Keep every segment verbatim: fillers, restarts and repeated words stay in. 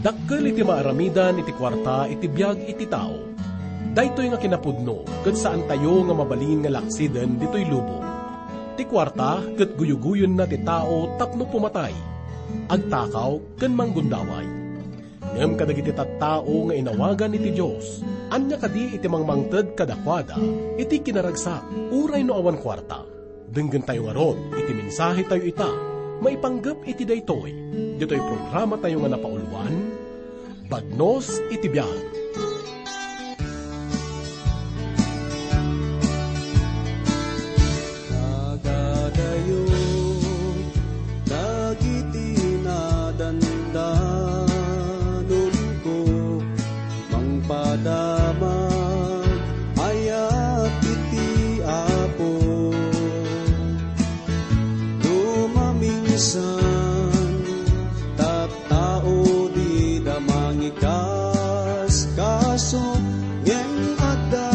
Dakkel iti maaramidan iti kuarta iti biag iti tao. Daytoy nga kinapudno ket saantayo nga mabalin nga laksiden ditoy lubong. Ti kuarta ket guyugoyonna ti tao tapno pumatay, agtakaw ken manggundaway. Ngem kadagiti tattao nga inawagan iti Dios, ania kadi iti mangmangted kadakuada iti kinaragsak uray no awan kuarta? Denggentayo ngarud iti mensahetayo ita, maipanggep iti daytoy, ditoy programatayo nga napauluan, Bagnos iti Biag. Kadakayo dagiti nadandanonko, mangpadama ayat iti Apo. No maminsan, tattao dida mangikaskaso, ngem adda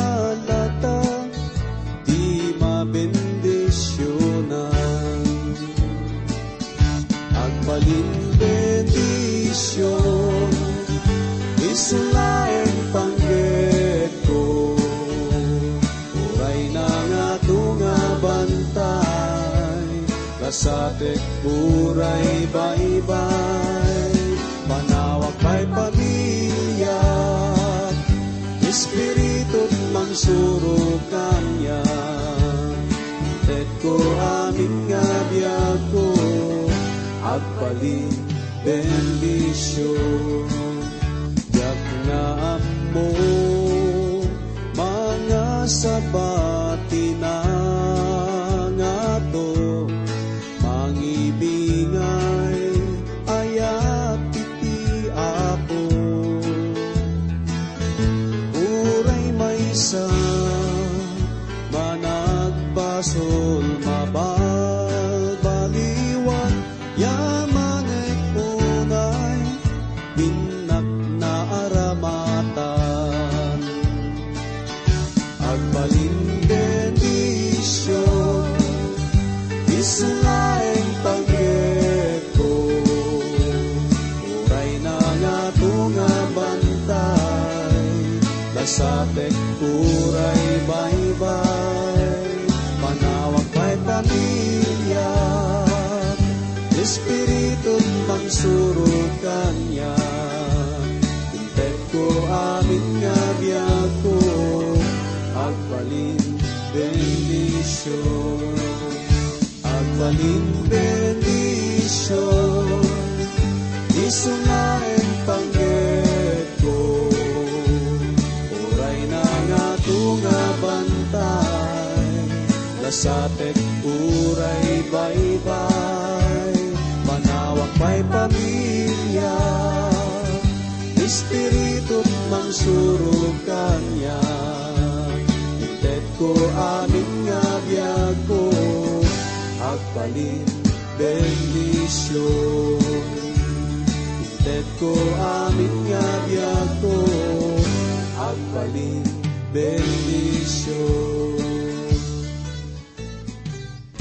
latta ti mabendisionan. Agbalin bendision, isu laeng panggepko. Uray nangato nga bantay, lasatek uray baybay. Panawak pay pamiliak, Espiritu mangsurok kaniak. Inted ko amin nga biagko, agbalin bendision. Diak nga ammo mangasaba ti nangato, mangibingay ayat iti Apo. Uray maysa managbasol, mabalbaliwan, yamanek unay, innak naaramatan. Agbalin bendision, isu laeng panggepko. Uray nangato nga bantay, lasatek uray baybay. Panawak pay pamiliak, Espiritu mangsurok kaniak. Inted ko amin nga biagko, agbalin bendision. Agbalin bendision, isu laeng panggepko. Uray nangato nga bantay, lasatek uray baybay. Panawak pay pamiliak, Espiritu mangsurok kaniak. Inted ko amin nga biagko, agbalin bendision. Inted ko amin nga biagko, agbalin bendision.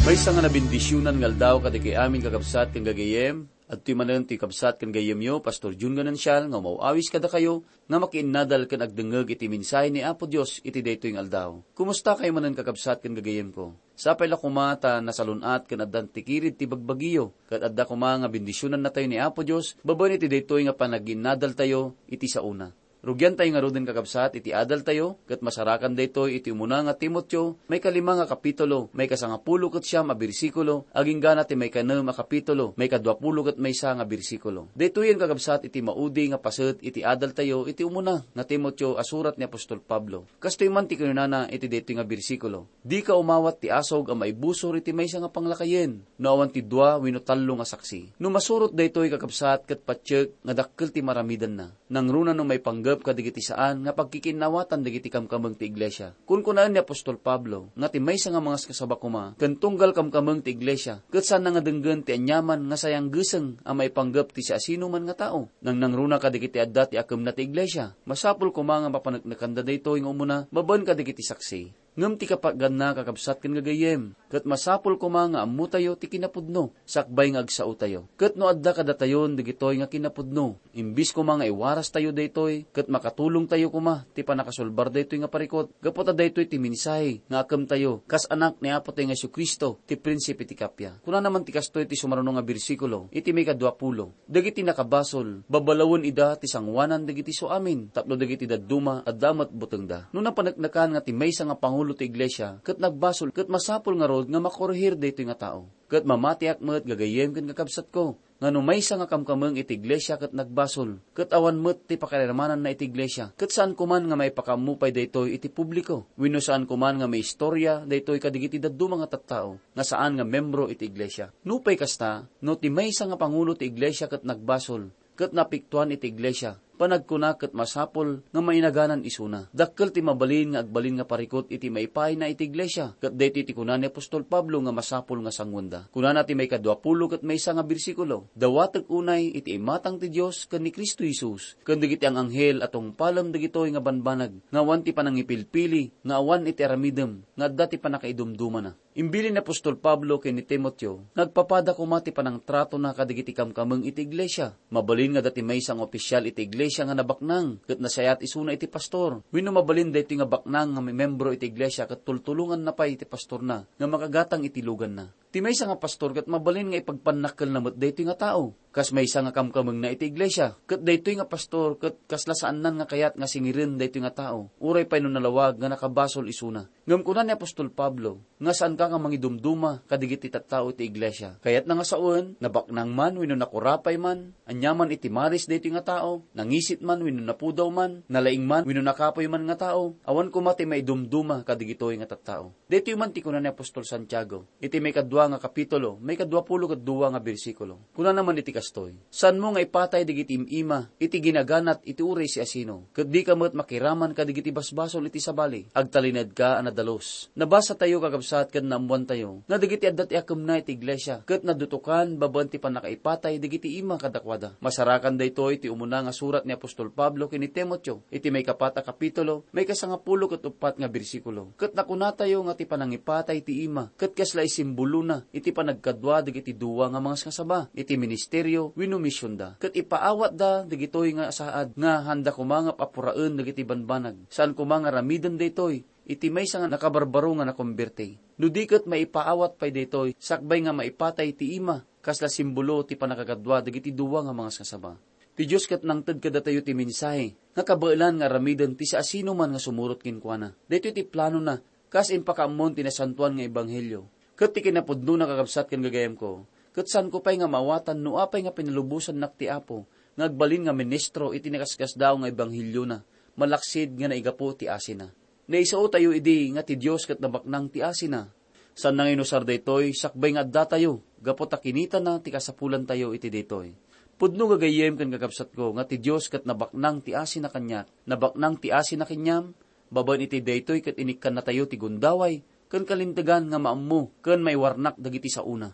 Maysa nga nabendisionan nga aldaw kadagiti amin, kakabsat ken gagayyem. Adtoy manen ti kabsat ken gayyemyo, Pastor Jun Ganancial, nga umaw-awis kadakayo nga makiinnadal ken agdengngeg iti mensahe ni Apo Dios iti daytoy nga aldaw. Kumusta kayo manen, kakabsat ken gagayyemko? Sapay la koma ta nasalun-at ken addan ti kirid ti bagbagiyo, ket adda koma nga bendisionannatayo ni Apo Dios babaen iti daytoy nga panagiinnadaltayo iti saona. Rugiantayo ngaruden, kakabsat, iti adaltayo, ket masarakan daytoy iti umuna nga Timoteo, maikalima nga kapitulo, maikasangapulo ket siam a bersikulo, aginggana ti maikanem a kapitulo, maikaduapulo ket maysa nga bersikulo. Daytoyen, kakabsat, iti maudi nga paset iti adaltayo iti umuna nga Timoteo a surat ni apostol Pablo. Kastoy man ti kinunana iti daytoy nga bersikulo, "Dika umawat ti asog a maibusor iti maysa nga panglakayen, no awan ti dua wenno tallo nga saksi." No masurot daytoy, kakabsat, ket patiek nga dakkel ti maramidenna. Nangruna no maipanggep kadagiti saan nga pagkikinnawatan dagiti kamkameng ti iglesia. Kunkunaen ni apostol Pablo nga ti maysa nga mangaskasaba koma ken tunggal kamkameng ti iglesia, ket saanna nga denggen ti aniaman nga sayanggeseng a maipanggep ti siasinoman nga tao. Nangnangruna kadagiti adda ti akemna ti iglesia. Masapul koma nga mapaneknekanda daytoy nga umuna babaen kadagiti saksi. Ngem ti kapaganna, kakabsat ken gagayyem, ket masapul koma nga ammotayo ti kinapudno, sakbay nga agsaotayo. Ket no adda kadatayon dagitoy nga kinapudno, imbis koma nga iwarastayo daytoy, ket makatulongtayo koma ti pannakasulbar daytoy nga parikut, gapu ta daytoy ti mensahe nga akemtayo kas anak ni Apotayo nga Jesu-Cristo, ti Prinsipe ti Kappia. Kunana man ti kastoy ti sumaruno nga bersikulo, iti maikadua pulo, "Dagiti nakabasol, babalawen ida ti sangoanan dagiti suamin, tapno dagiti dadduma, adda met butengda." No napaneknekan nga ti maysa nga pangulo ti iglesia ket nagbasol, ket masapul ngarud nga makorehir daytoy nga tao. Ket mamatiak met, gagayyem ken kakabsatko, nga no maysa nga kamkameng iti iglesia ket nagbasol, ket awan met ti pakailamananna iti iglesia, ket saan koman nga maipakaammo pay daytoy iti publiko, wenno saan koman nga maistoria daytoy kadagiti dadduma nga tattao nga saan nga membro iti iglesia. Nupay kasta, no ti maysa nga pangulo ti iglesia ket nagbasol, ket napiktuan iti iglesia, panagkuna ket masapul nga mainaganan isuna. Dakkel ti mabalin nga agbalin nga parikut iti maipaayna iti iglesia, ket daytoy ti kuna ni apostol Pablo nga masapul nga sanguenda. Kunana ti maikadua pulo ket maysa nga bersikulo, "Dawatek unay iti imatang ti Dios ken ni Cristo Jesus, ken dagiti ang-anghel a tungpalem dagitoy nga banbanag, nga awan ti panangipilpili, nga awan iti aramidem, nga adda ti pannakaidumdumana." Imbilin ni apostol Pablo ken ni Timoteo nga agpapada koma ti panangtratona kadagiti kamkameng iti iglesia. Mabalin nga adda ti maysa nga opisial iti iglesia nga nabaknang ket nasayaat isuna iti pastor. Wenno mabalin daytoy nga baknang nga membro iti iglesia ket tultulonganna pay ti pastorna nga makagatang iti luganna. Ti maysa nga pastor ket mabalin nga ipagpannakkelna met daytoy nga tao kas maysa nga kamkamengna iti iglesia. Ket daytoy nga pastor ket kasla saannan nga kayat nga singiren daytoy nga tao, uray pay no nalawag nga nakabasol isuna. Ngem kuna ni apostol Pablo nga saanka nga mangidumduma kadagiti tattao iti iglesia. Kayatna nga sawen, nabaknang man wenno nakurapay man, ania man iti maris daytoy nga tao, nangisit man wenno napudaw man, nalaing man wenno nakapuy man nga tao, awan koma ti maidumduma kadagitoy nga tattao. Daytoy man ti kuna ni apostol Santiago iti maikadua nga kapitulo, maikadua pulo ket dua nga bersikulo. Kunana man iti kastoy, "Saanmo nga ipatay dagiti im-ima iti ginaganat iti uray siasino, ket dika met makiraman kadagiti basbasol iti sabali. Agtalinaedka a nadalus." Nabasatayo, kakabsat, ken naammoantayo nga dagiti adda ti akemna iti iglesia ket nadutokan babaen ti pannakaipatay dagiti ima kadakuada. Masarakan daytoy ti umuna nga surat ni apostol Pablo ken ni Timoteo iti maikapat a kapitulo, maikasangapulo ket uppat nga bersikulo. Ket nakunatayo nga ti panangipatay ti ima ket kasla isimbolona iti panagkadua dagiti dua nga mangasngasaba iti ministerio wenno misionda. Ket ipaawatda dagitoy nga saad nga haanda koma nga papuraen dagiti banbanag. Saan koma nga aramiden daytoy iti maysa nga nakabarbaro nga nakomberti. No di ket maipaawat pay daytoy sakbay nga maipatay ti ima, kasla simbolo ti pannakakadua dagiti dua nga mangasngasaba. Ti Dios ket nangted kadatayo ti mensahe nga kabaelan nga aramiden ti siasinoman nga sumurot kenkuana. Daytoy ti planona kas impakaammon ti nasantoan nga ebanghelio. Ket ti kinapudnona, kakabsat ken gagayemko, ket saanko pay nga maawatan no apay nga pinalubosannak ti Apo nga agbalin nga ministro iti nakasakasdaaw nga ebangheliona, malaksid nga naigapu ti asina. Naisaotayo idi nga ti Dios ket nabaknang ti asina. Saanna nga inusar daytoy sakbay nga addatayo, gapu ta kinitana ti kasapulantayo iti daytoy. Pudno, gagayyem ken kakabsatko, nga ti Dios ket nabaknang ti asina kaniak, nabaknang ti asina kaniam, babaen iti daytoy ket inikkannatayo ti gundaway ken kalintegan nga maammo ken maiwarnak dagiti saona.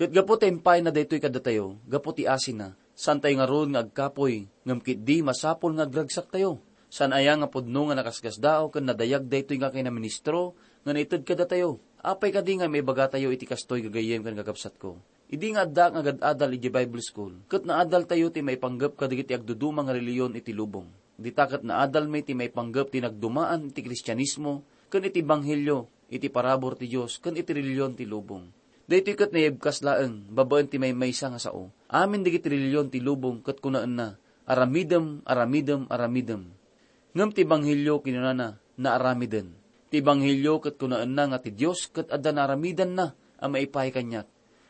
Ket gapu ta impayna daytoy kadatayo, gapu ti asina, saantayo ngarud nga agkapuy, ngem ketdi masapul nga agragsaktayo. Saan aya nga pudno nga nakasgasdaaw ken nadayag daytoy nga kinaministro nga naited kadatayo? Apay kadi nga maibagatayo iti kastoy, gagayyem ken kakabsatko? Idi nga addaak nga agad-adal idiay Bible School, ket naadaltayo ti maipanggep kadagiti agduduma nga relihiyon iti lubong. Dita ket naadalmi ti maipanggep ti nagdumaan iti Kristianismo ken iti Ebanghelio iti parabur ti Dios ken iti relihiyon ti lubong. Daytoy ket naibkas laeng babaen ti maymaysa nga sao. Amin dagiti relihiyon ti lubong ket kunaenna, "Aramidem, aramidem, aramidem." Ngem ti Ebanghelio kinunana, "Naaramiden." Ti Ebanghelio ket kunaenna nga ti Dios ket adda naaramidanna a maipaay kaniak.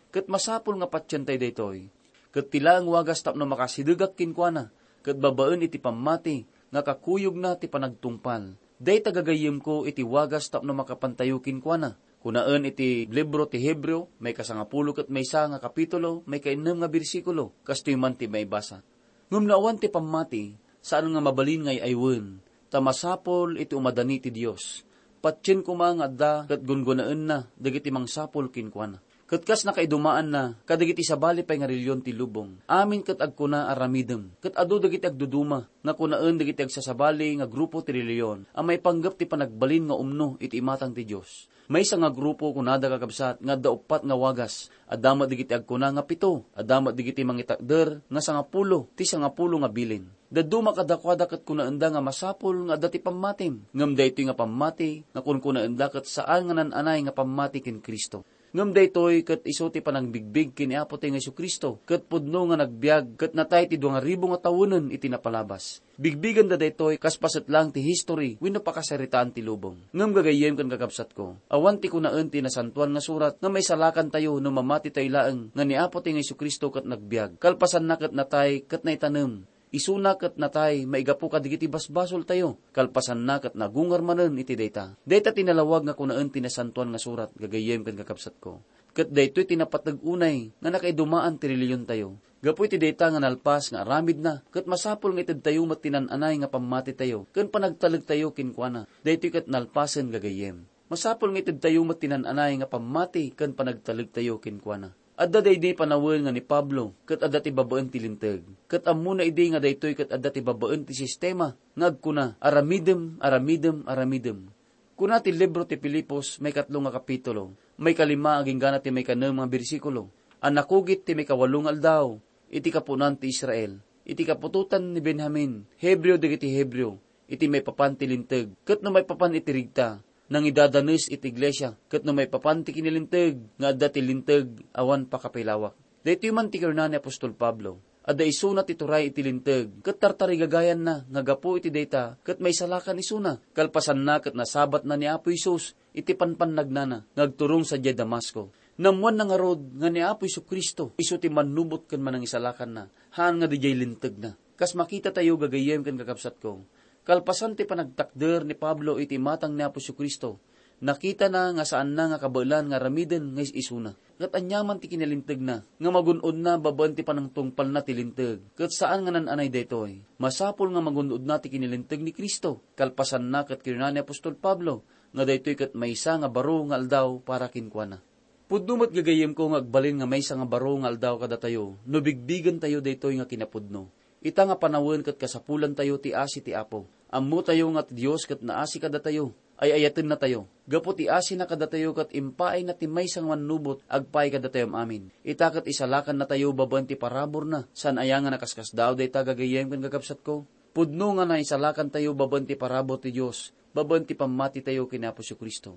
Ket masapul nga patientayo daytoy. Ket ti laeng wagas tapno makasidegak kenkuana, ket babaen iti pammati nga kakuyogna ti panagtungpal. Dayta gagayyemko iti wagas tapno makapantayo kenkuana. Kunaen iti libro ti Hebreo, maikasangapulo ket maysa nga kapitulo, maikainnem nga bersikulo, kastoy man ti maibasa. Ngem no awan ti pammati, saan nga mabalin nga ay-aywen, ta masapul iti umadani ti Dios. Patien koma nga adda ket gunggonaenna dagiti mangsapul kenkuana. Ket kas nakaidumaanna kadagiti sabali pay nga relihiyon ti lubong, amin ket agkuna aramidem, ket adu dagiti agduduma nga kunaen dagiti agsasabali nga grupo ti relihiyon a maipanggep ti panagbalin nga umno iti imatang ti Dios. Maysa nga grupo kunada, kakabsat, nga adda uppat nga wagas, adda met dagiti agkuna nga pito, adda met dagiti mangitakder nga sangapulo ti sangapulo nga bilin. Dadduma kadakuada ket kunaenda nga masapul nga adda ti pammatim, ngem daytoy nga pammati nga kunkunaenda ket saan nga naan-anay nga pammati ken Cristo. Ngem daytoy ket isu ti panangbigbig ken ni Apotayo nga Jesu-Cristo, ket pudno nga nagbiag ket natay ti dua nga ribu nga tawenen iti napalabas. Bigbigenda daytoy kas paset laeng ti history wenno pakasaritaan ti lubong. Ngem gagayyem ken kakabsatko, awan ti kunaen ti Nasantoan nga Surat nga maisalakantayo no mamatitayo laeng nga ni Apotayo nga Jesu-Cristo ket nagbiag, kalpasanna ket natay ket naitanem. Isuna ket natay maigapu kadagiti basbasoltayo, kalpasanna ket nagungar manen iti dayta. Dayta ti nalawag nga kunaen ti Nasantoan nga Surat, gagayyem ken kakabsatko. Ket daytoy ti napateg unay nga nakaidumaan ti relihiontayo. Gapu iti dayta nga nalpas nga aramidna, ket masapul nga itedtayo met ti naan-anay nga pammatitayo ken panagtalektayo kenkuana. Daytoy ket nalpasen, gagayyem. Masapul nga itedtayo met ti naan-anay nga pammati ken panagtalektayo kenkuana. Adda daydi panawen nga ni Pablo ket adda ti babaen ti Linteg, ket ammona idi nga daytoy ket adda ti babaen ti sistema nga agkuna, "Aramidem, aramidem, aramidem." Kuna ti libro ti Filipos, maikatlo nga kapitulo, maikalima agingga ti maikanem nga bersikulo, a nakugit ti maikawalo nga aldaw iti kapuonan ti Israel, iti kaputotan ni Benjamin, Hebreo dagiti Hebreo, iti maipapan ti Linteg, ket no maipapan iti regta, nangidadanes iti iglesia, ket no maipapan ti kinalinteg nga adda ti Linteg, awan pakapilawak. Daytoy man ti kinuna ni apostol Pablo. Adda isuna ti turay iti Linteg, ket tartarigagayanna nga gapu iti dayta ket maisalakan isuna. Kalpasanna ket nasabatna ni Apo Jesus iti panpannagnana nga agturong sadiay Damasco. Naammoanna ngarud nga ni Apo Jesu-Cristo isu ti mannubot ken manangisalakanna, haan nga diay Lintegna. Kas makitatayo, gagayyem ken kakabsatko, kalpasan ti panagtakder ni Pablo iti imatang ni Apo Jesu-Cristo, nakitana nga saanna nga kabaelan nga aramiden nga is-isuna. Ket aniaman ti kinalintegna nga magun-odna babaen ti panangtungpalna ti Linteg, ket saan nga naan-anay daytoy. Masapul nga magun-odna ti kinalinteg ni Cristo. Kalpasanna, ket kinuna ni apostol Pablo nga daytoy ket maysa nga baro nga aldaw para kenkuana. Pudno met, gagayyemko, nga agbalin nga maysa nga baro nga aldaw kadatayo no bigbigentayo daytoy nga kinapudno. Ita nga panawen ket kasapulantayo ti asi ti Apo. Ammotayo nga ti Dios ket naasi kadatayo. Ay-ayatennatayo. Gapu ti asina kadatayo ket impaayna ti maysa nga mannubot agpay kadatayo amin. Ita ket isalakannatayo babaen ti paraburna. Saan aya nga nakaskasdaaw dayta, gagayyem ken kakabsatko? Pudno nga naisalakantayo babaen ti parabur ti Dios, babaen ti pammatitayo ken Apo Jesu-Cristo.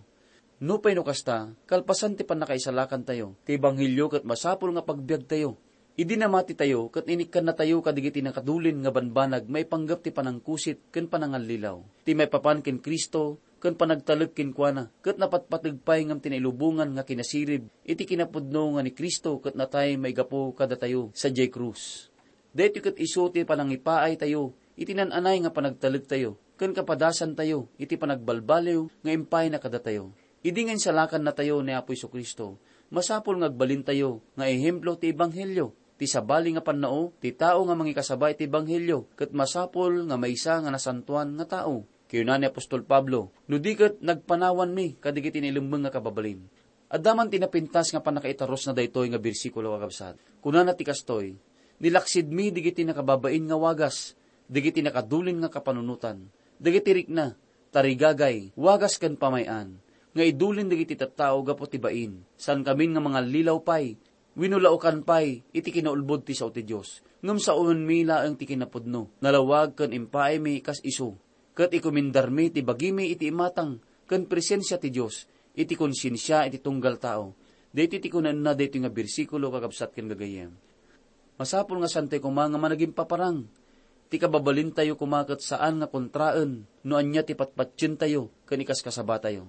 Nupay no kasta, kalpasan ti pannakaisalakantayo, ti ebanghelio ket masapul nga pagbiagtayo. Idi namatitayo ket inikkannatayo kadagiti nakadulin nga banbanag maipanggep ti panangkusit ken panangallilaw. Ti maipapan ken Cristo ken panagtalek kenkuana, ket napatpateg pay ngem ti nailubongan nga kinasirib iti kinapudno nga ni Cristo ket natay maigapu kadatayo sadiay krus. Daytoy ket isu ti panangipaaytayo iti naan-anay nga panagtalektayo ken kapadasantayo iti panagbalbaliw nga impaayna kadatayo. Idi nga insalakannatayo ni Apo Jesu-Cristo, masapul nga agbalintayo nga ehemplo ti ebanghelio, ti sabali nga pannao ti tao nga mangikasaba iti ebanghelio, ket masapul nga maysa nga nasantoan nga tao. Kinuna ni apostol Pablo, "No di ket nagpanawanmi kadagiti nailemmeng nga kababalin." Adda man ti napintas nga pannakaitarusna daytoy nga bersikulo, kakabsat. Kunana ti kastoy, "Nilaksidmi dagiti nakababain nga wagas, dagiti nakadulin nga kapanunotan, dagiti rikna, tarigagay, wagas ken pamay-an, nga idulin dagiti tattao gapu ti bain. Saankamin nga mangallilaw pay, wenno laokan pay iti kinaulbod ti sao ti Dios, ngem saoenmi laeng ti kinapudno, nalawag ken impaaymi kas isu." Ket ikumindarmi ti bagimi iti imatang ken presensia ti Dios, iti konsiensia iti tunggal tao. Daytoy ti kunaenna daytoy nga bersikulo, kakabsat ken gagayyem. Masapul nga saantayo koma nga managimpaparang. Ti kababalintayo koma ket saan nga kontraen no ania ti patpatientayo ken ikaskasabatayo.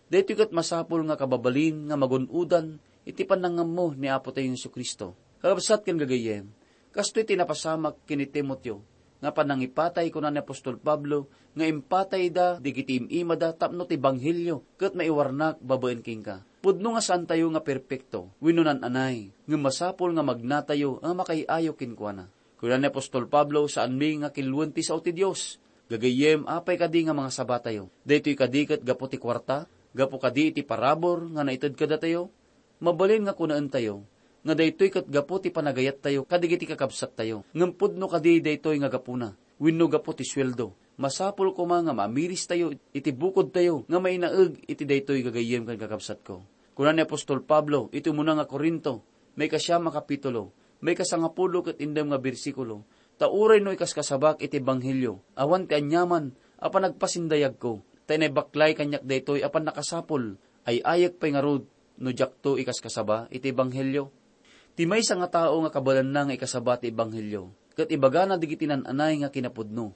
Daytoy ket masapul nga kababalin nga magun-odan iti panangammo ni Apotayo Jesu-Cristo. Kakabsat ken gagayyem, kastoy ti napasamak ken ni Timoteo nga panangipatay, kuna ni apostol Pablo, nga impatayda dagiti im-imada tapno ti ebanghelio ket maiwarnak babaen kenka. Pudno nga saantayo nga perpekto wenno naan-anay, ngem masapul nga magnatayo a makaay-ayo kenkuana. Kuna ni apostol Pablo, saanmi nga kiluen ti sao ti Dios. Gagayyem, apay kadi nga mangasabatayo? Daytoy kadi ket gapu ti kuarta? Gapu kadi iti parabur nga naited kadatayo? Mabalin nga kunaentayo nga daytoy ket gapu ti panagayattayo kadagiti kakabsattayo, ngem pudno kadi daytoy nga gapuna wenno gapu ti sueldo. Masapul koma nga maamiristayo iti bukodtayo nga mainaeg iti daytoy, gagayyem ken kakabsatko. Kuna ni apostol Pablo iti umuna nga Corinto, maikasiam a kapitulo, maikasangapulo ket indem nga bersikulo, "Ta uray no ikaskasabak iti ebanghelio, awan ti aniaman a panagpasindayagko, ta inaybaklay kaniak daytoy a pannakasapul, ay-ayek pay ngarud no diakto ikaskasaba iti ebanghelio." Ti maysa nga tao nga kabaelanna nga ikasaba ti ebanghelio, ket ibagana dagiti nan-anay nga kinapudno.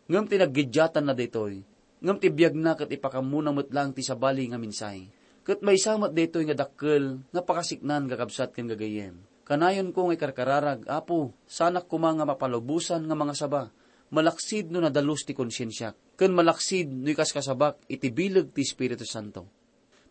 Ngem ti naggiddiatanna daytoy, ngem ti biagna ket ipakammona met laeng ti sabali nga mensahe. Ket maysa met daytoy nga dakkel nga pakasiknaan, kakabsat ken gagayyem. Kanayonko nga ikarkararag, Apo, saanak koma nga mapalubosan nga mangasaba, malaksid no nadalus ti konsiensiak, ken malaksid no ikaskasabak iti bileg ti Espiritu Santo.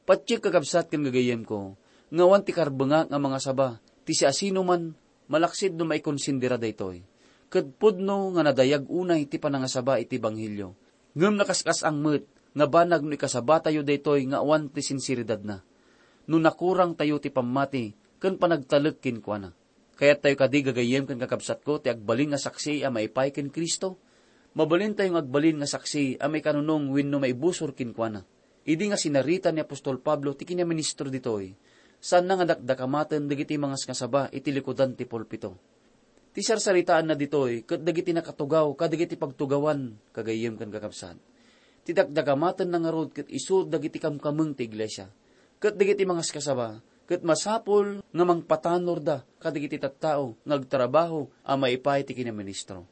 Patiek, kakabsat ken gagayyemko, nga awan ti karbengak nga mangasaba ti siasinoman, malaksid no maikonsindera daytoy. Ket pudno nga nadayag unay ti panangasaba iti ebanghelio. Ngem nakaskas-ang met nga banag no ikasabatayo daytoy nga awan ti sinseridadna, no nakurangtayo ti pammati ken panagtalek kenkuana. Kayattayo kadi, gagayyem ken kakabsatko, ti agbalin nga saksi a maipaay ken Cristo? Mabalintayo nga agbalin nga saksi a maikanunong wenno maibusor kenkuana. Idi nga sinarita ni apostol Pablo ti kinaministro ditoy, saanna nga dakdakamaten dagiti mangasngasaba iti likudan ti pulpito. Ti sarsaritaanna ditoy ket dagiti nakatugaw kadagiti pagtugawan, gagayyem ken kakabsat. Ti dakdakamatenna ngarud ket isu dagiti kamkameng ti iglesia, ket dagiti mangasngasaba ket masapul nga mangpatanorda kadagiti tattao nga agtrabaho a maipaay ti kinaministro.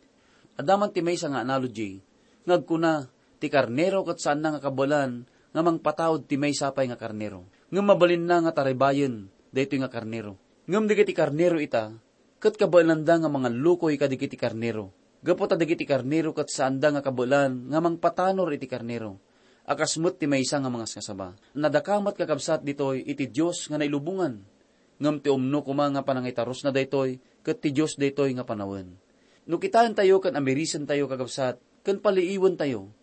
Adda man ti maysa nga analogy nga agkuna, ti karnero ket saanna nga kabaelan nga mangpataud ti maysa pay nga karnero, ngem mabalinna nga taribayen daytoy nga karnero. Ngem dagiti karnero ita, ket kabaelanda nga mangallukoy kadagiti karnero, gapu ta dagiti karnero ket saanda nga kabaelan nga mangpatanor iti karnero, a kas met ti maysa nga mangasngasaba. Nadakamat, kakabsat, ditoy iti Dios nga nailubongan, ngem ti umno koma nga panangitarusna daytoy ket ti Dios daytoy nga panawen. No kitaentayo ken amirisentayo, kakabsat, ken paliiwentayo,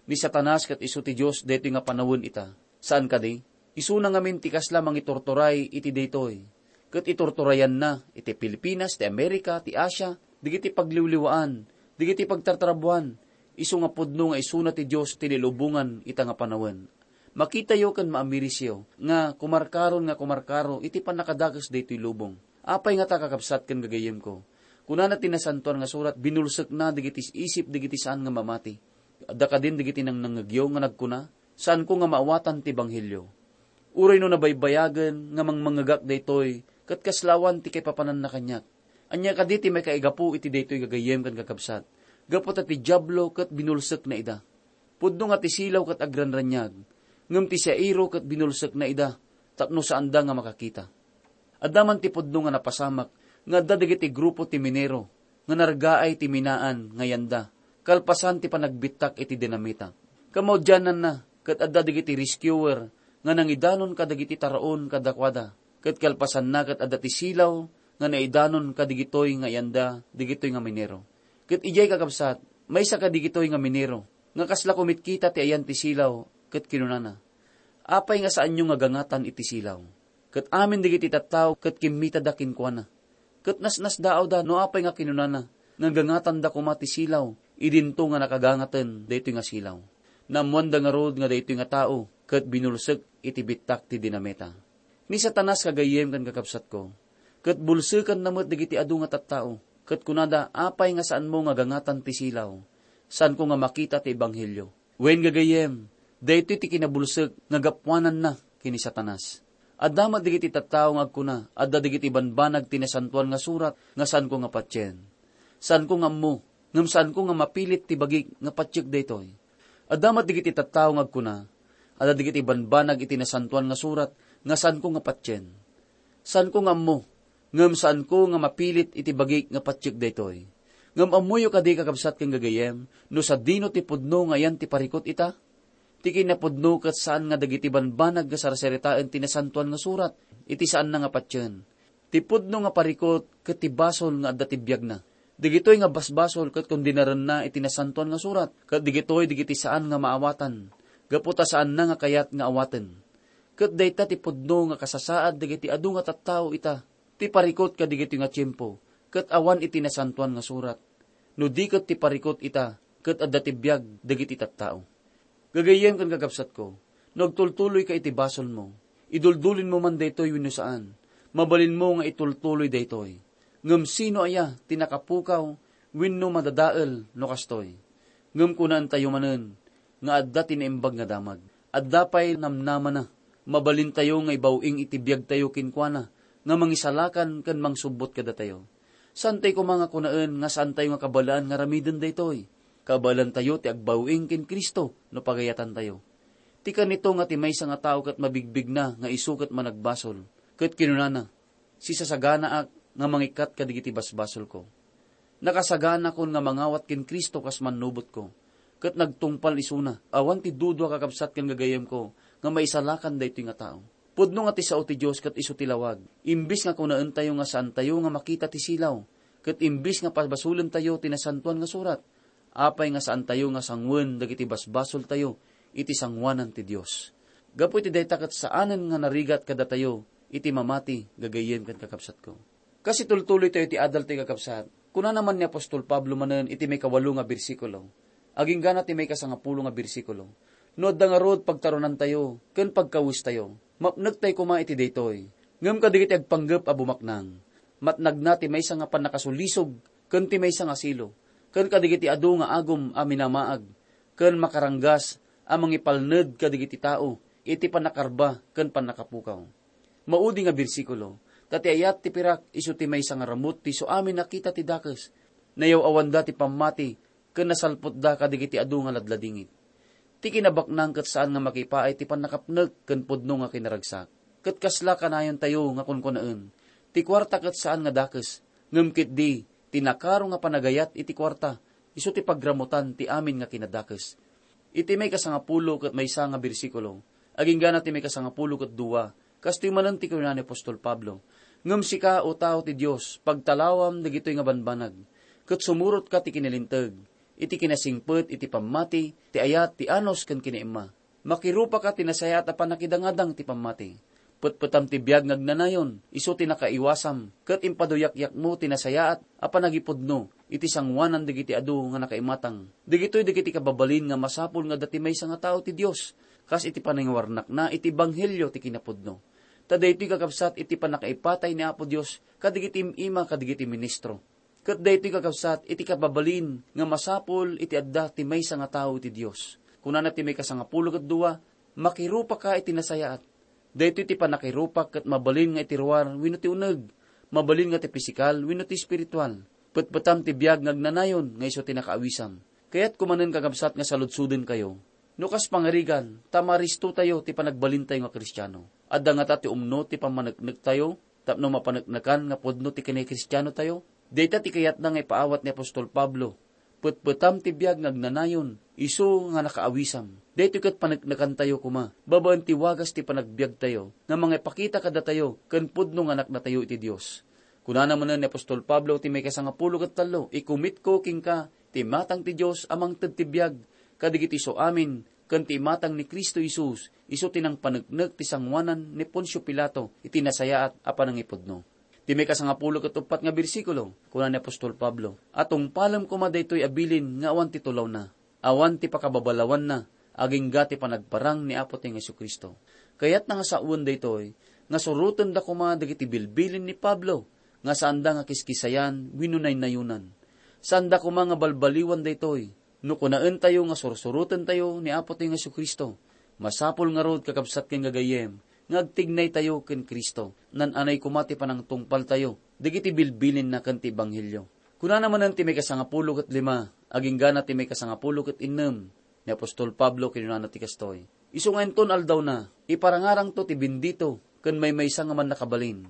ni Satanas ket isu ti Dios daytoy nga panawen ita. Saan kadi? Isuna ngamin ti kasla mangiturturay iti daytoy, ket iturturayanna iti Pilipinas, ti Amerika, ti Asia, dagiti pagliwliwaan, dagiti pagtartrabuan, isu nga pudno nga isuna ti Dios ti nailubongan ita nga panawen. Makitayo ken maamirisyo nga kumarkaron nga kumarkaro iti pannakadakes daytoy lubong. Apay ngata, kakabsat ken gagayyemko? Kunana ti Nasantoan nga Surat, "Binulsekna dagiti isip dagiti saan nga mamati." Adda kadin dagiti nangnangngegyo nga nagkuna, "Saanko nga maawatan ti ebanghelio. Uray no nabaybayagen nga mangmangngegak daytoy, ket kasla awan ti kaipapananna kaniak." Ania kadi ti maikaigapu iti daytoy, gagayyem ken kakabsat? Gapu ta ti Diablo ket binulsekna ida. Pudno nga ti silaw ket agranraniag, ngem ti siaero ket binulsekna ida tapno saanda nga makakita. Adda man ti pudno nga napasamak nga adda dagiti grupo ti minero nga nargaay ti minaan nga yanda, kalpasan ti panagbittak iti dinamita. Kamaudiananna, ket adda dagiti rescuer nga nangidanon kadagiti taraon kadakuada, ket kalpasanna, ket adda ti silaw nga naidanon kadagitoy nga yanda dagitoy nga minero. Ket idiay, kakabsat, maysa kadagitoy nga minero nga kasla kumitkita ti ayan ti silaw, ket kinunana, "Apay nga saanyo nga gangatan iti silaw?" Ket amin dagiti tattao ket kimmitada kenkuana. Ket nasnasdaawda no apay nga kinunana nga gangatanda koma ti silaw idinto nga nakagangaten daytoy nga silaw. Naammoanda ngarud nga daytoy nga tao ket binulsek iti bittak ti dinamita. Ni Satanas, gagayyem ken kakabsatko, ket bulsekanna met dagiti adu nga tattao, ket kunada, "Apay nga saanmo nga gangatan ti silaw? Saanko nga makita ti ebanghelio?" Wen, gagayyem, daytoy ti kinabulsek nga gapuananna ken ni Satanas. Adda met dagiti tattao nga agkuna, "Adda dagiti banbanag ti Nasantoan nga Surat nga saanko nga patien. Saanko nga ammo, ngem saanko nga mapilit ti bagik nga patiek daytoy." Adda met dagiti tattao nga agkuna, "Adda dagiti banbanag iti Nasantoan nga Surat nga saanko nga patien. Saanko nga ammo, ngem saanko nga mapilit iti bagik nga patiek daytoy." Ngem ammoyo kadi, kakabsat ken gagayyem, no sadino ti pudno nga ayan ti parikut ita? Ti kinapudno ket saan nga dagiti banbanag nga sarsaritaen ti Nasantoan nga Surat iti saanna nga patien. Ti pudno nga parikut ket ti basol nga adda ti biagna. Dagitoy nga basbasol ket kondinarenna iti Nasantoan nga Surat, ket dagitoy dagiti saan nga maawatan, gapu ta saanna nga kayat nga awaten. Ket dayta ti pudno nga kasasaad dagiti adu nga tattao ita, ti parikut kadagitoy nga tiempo, ket awan iti Nasantoan nga Surat. No di ket ti parikut ita, ket adda ti biag dagiti tattao. Gagayyem ken kakabsatko, no agtultuloyka iti basolmo, iduldulinmo man daytoy wenno saan, mabalinmo nga itultuloy daytoy. Ngem sino aya ti nakapukaw wenno madadael no kastoy? Ngem kunaentayo manen nga adda ti naimbag nga damag. Adda pay namnamana. Mabalintayo nga ibaw-ing iti biagtayo kenkuana nga mangisalakan ken mangsubbot kadatayo. Saantayo koma nga kunaen nga saantayo nga kabaelan nga aramiden daytoy. Kabaelantayo ti agbaw-ing ken Cristo no pagayatantayo. Ti kanito nga ti maysa nga tao ket mabigbigna nga isu ket managbasol, ket kinunana, "Sisasaganaak nga mangikkat kadagiti basbasolko. Nakasaganakon nga mangawat ken Cristo kas mannubotko, ket nagtungpal isuna." Awan ti dudua, kakabsat ken gagayyemko, nga maisalakan daytoy nga tao. Pudno nga ti sao ti Dios ket isu ti lawag. Imbis nga kunaentayo nga saantayo nga makita ti silaw, ket imbis nga pabasolentayo ti Nasantoan nga Surat, apay nga saantayo nga sanguen dagiti basbasoltayo iti sangoanan ti Dios? Gapu iti dayta ket saanen nga narigat kadatayo iti mamati, gagayyem ken kakabsatko. Kas itultuloytayo ti adal ti kakabsat, kunana man ni apostol Pablo manen iti maikawalo nga bersikulo, aginggana ti maikasangapulo nga bersikulo, "No adda ngarud pagtaronantayo ken pagkawestayo, mapnektayo koma iti daytoy. Ngem kadagiti agpanggep a bumaknang, matnagna ti maysa nga pannakasulisog ken ti maysa nga silo, ken kadagiti adu nga agum a minamaag ken makaranggas a mangipalned kadagiti tao iti pannakarba ken pannakapukaw." Maudi nga bersikulo, ta ti ayat ti pirak isu ti maysa nga ramut ti isu amin a kita ti dakes. Nayaw-awanda ti pammati ken nasalputda kadagiti adu nga ladladingit. Ti kinabaknang ket saan nga makipaay ti pannakapnek ken pudno nga kinaragsak. Ket kasla kanayontayo nga kunkunaen, ti kuarta ket saan nga dakes, ngem ketdi ti nakaro nga panagayat iti kuarta, isu ti pagramutan ti amin nga kinadakes. Iti maikasangapulo ket maysa nga bersikulo, aginggana ti maikasangapulo ket dua, kastoy manen ti kinuna ni apostol Pablo, "Ngem sika, O tao ti Dios, pagtalawam dagitoy nga banbanag, ket sumurotka ti kinalinteg, iti kinasingpet iti pammati, ti ayat, ti anus ken kinaimma. Makirupaka ti nasayaat a pannakidangadang ti pammati. Petpetam ti biag nga agnanayon, isu ti nakaiwasam, ket impaduyakyakmo ti nasayaat a pannakipudno iti sangoanan dagiti adu nga nakaimatang. Dagitoy dagiti kababalin nga masapul nga adda ti maysa nga tao ti Dios, kas iti panangiwarnakna iti ebanghelio ti kinapudno." Ta daytoy, kakabsat, iti pannakaipatay ni Apo Dios kadagiti im-ima kadagiti ministro. Ket daytoy, kakabsat, iti kababalin nga masapul iti adda ti maysa nga tao iti Dios. Kunana ti maikasangapulo ket dua, "Makirupaka iti nasayaat." Daytoy ti pannakirupak ket mabalin nga iti ruar wenno ti uneg, mabalin nga ti pisikal wenno ti espiritual. Petpetam ti biag nga agnanayon nga isu ti nakaawisam. Kayatko manen, kakabsat, nga saludsodenkayo. No kas pangarigan, ta maristotayo ti panagbalintayo nga Kristiano. Adda ngata ti umno ti pammaneknektayo tapno mapaneknekan nga pudno ti kinakristianotayo? Dayta ti kayatna nga ipaawat ni apostol Pablo. Petpetam ti biag nga agnanayon, isu nga nakaawisam. Daytoy ket paneknekantayo koma, babaen ti wagas ti panagbiagtayo, nga mangipakita kadatayo ken pudno nga anaknatayo iti Dios. Kunana manen ni apostol Pablo ti maikasangapulo ket tallo, "Ikumitko kenka ti imatang ti Dios a mangted ti biag kadagiti isu amin, ken ti imatang ni Cristo Jesus, isu ti nangpaneknek ti sangoanan ni Poncio Pilato iti nasayaat a panangipudno." Ti maikasangapulo ket uppat nga bersikulo, kuna ni apostol Pablo, "A tungpalem koma daytoy a bilin nga awan ti tulawna, awan ti pakababalawanna, agingga ti panagparang ni Apotayo nga Jesu-Cristo." Kayatna nga sawen daytoy, nga surotenda koma dagiti bilbilin ni Pablo, nga saanda nga kiskisayan wenno naynayonan. Saanda koma nga balbaliwan daytoy. No kunaentayo nga sursurotentayo ni Apotayo nga Jesu-Cristo, masapul ngarud, kakabsat ken gagayyem, nga agtignaytayo ken Cristo. Naan-anay koma ti panangtungpaltayo dagiti bilbilinna ken ti ebanghelio. Kunana manen ti maikasangapulo ket lima, aginggana ti maikasangapulo ket innem, ni apostol Pablo, kinunana ti kastoy, "Isu nga inton aldawna, iparangarangto ti bendito ken maymaysa nga mannakabalin,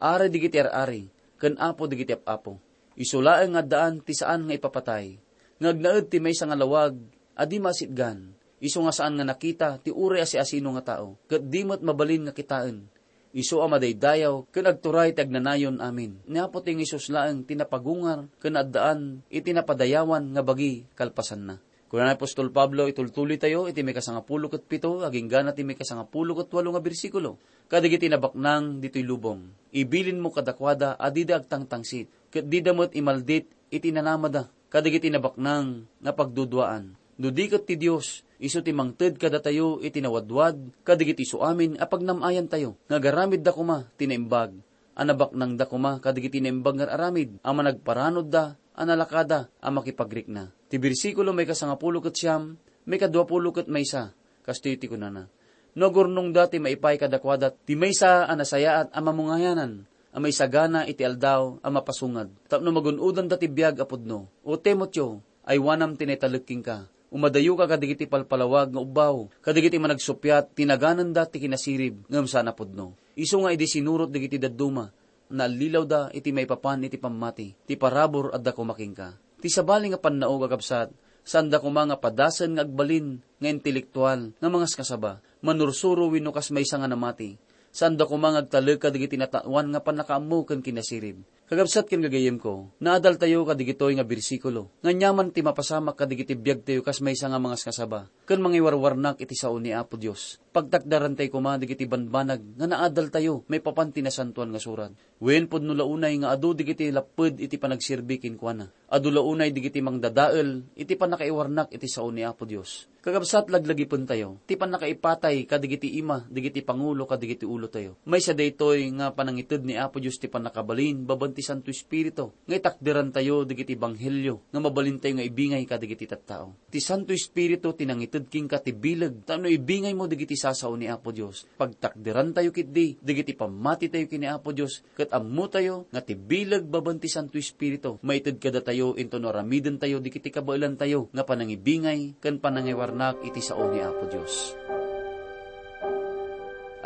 Ari dagiti ar-ari, ken Apo dagiti ap-apo. Isu laeng nga addaan ti saan nga ipapatay, nga agnaed ti maysa nga lawag a di masitgan, isu nga saan nga nakita ti uray a siasino nga tao, ket di met mabalin nga kitaen. Isu a madaydayaw ken agturay ti agnanayon amin. Ni Apotayo nga Jesus laeng ti napagungar ken addaan iti napadayawan nga bagi kalpasanna." Kuna ni apostol Pablo, itultuloytayo iti maikasangapulo ket pito, agingga na ti maikasangapulo ket walo nga bersikulo. Kadagiti nabaknang ditoy lubong, ibilinmo kadakuada a dida agtangtangsit, ket dida met imaldit iti nanamada. Kadagiti nabaknang nga pagduduaan, no di ket ti Dios, isu ti mangted kadatayo iti nawadwad kadagiti suamin a pagnam-ayantayo, nga agaramidda koma ti naimbag a nabaknangda koma kadagiti naimbag nga ar-aramid a managparanodda a nalakada a makipagrikna. Ti bersikulo maikasangapulo ket siam, maikaduapulo ket maysa, kastoy ti kunana, "No agurnongda ti maipaay kadakuada ti maysa a nasayaat a mamungayanan a maisagana iti aldaw a mapasungad, tapno magun-odanda ti biag a pudno. O Timoteo, aywanam ti naitalek kenka. Umadayoka kadagiti palpalawag nga ubbaw, kadagiti managsuppiat ti nagananda ti kinasirib ngem saan a pudno. Isu nga idi sinurot dagiti dadduma, naallilawda iti maipapan iti pammati. Ti parabur adda koma kenka." Ti sabali nga pannaog a kabsat, saanda koma nga padasen nga agbalin nga intelektual nga mangaskasaba, manursuro wenno kas maysa nga namati. Saanda koma nga agtalek kadagiti natawan nga pannakaammo ken kinasirib. Kakabsat ken gagayyemko, naadaltayo kadagitoy nga bersikulo. Nga aniaman ti mapasamak kadagiti biagtayo kas maysa nga mangaskasaba ken mangiwarwarnak iti sao ni Apo Dios. Pagtakderantay koma dagiti banbanag nga naadaltayo maipapan ti Nasantoan nga Surat. Wen, pudno la unay nga adu dagiti lapped iti panagserbi kenkuana. Adu la unay dagiti mangdadael iti pannakaiwarnak iti sao ni Apo Dios. Kakabsat, laglagipentayo ti pannakaipatay kadagiti ima, dagiti pangulo, kadagiti ulotayo. Maysa daytoy nga panangited ni Apo Dios ti pannakabalin babaen ti Santo Espiritu nga itakderantayo dagiti ebanghelio nga mabalintayo nga ibingay kadagiti tattao. Ti Santo Espiritu ti nangited kenka ti bileg tapno ibingaymo dagiti sasao ni Apo Dios. Pagtakderantayo ketdi dagiti pammatitayo ken ni Apo Dios, ket ammotayo nga ti bileg babaen ti Santo Espiritu maited kadatayo intono aramidentayo dagiti kabaelantayo nga panangibingay ken panangiwarnak iti sao ni Apo Dios.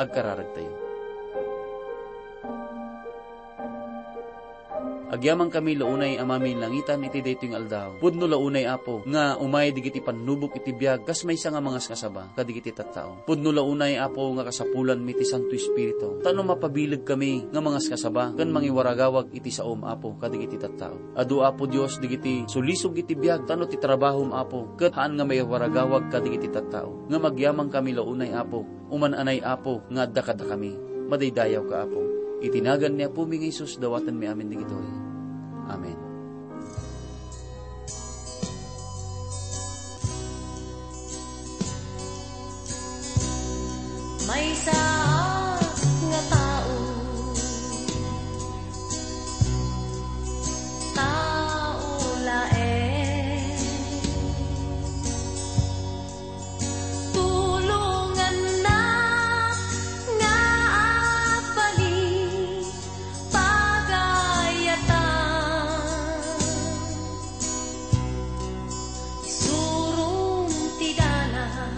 Agkararagtayo. Agyamankami la unay a maminlangitan iti daytoy nga aldaw. Pudno la unay, Apo, nga umay dagiti pannubok iti biag kas maysa nga mangaskasaba kadagiti tattao. Pudno la unay, Apo, nga kasapulanmi ti Santo Espiritu, tapno mapabilegkami nga mangaskasaba ken mangiwaragawag iti saom, Apo, kadagiti tattao. Adu, Apo Dios, dagiti sulisog iti biag, tapno ti trabahom, Apo, ket haan nga maiwaragawag kadagiti tattao. Ngem agyamankami la unay, Apo, uman-anay, Apo, nga adda kadakami. Madaydayawka, Apo. Iti nagan ni Apomi nga Jesus, dawatenmi amin dagitoy. Amen. Maysa nga tao, tao laeng. Tulonganna nga agbalin pagayatan. Isurom ti dalan.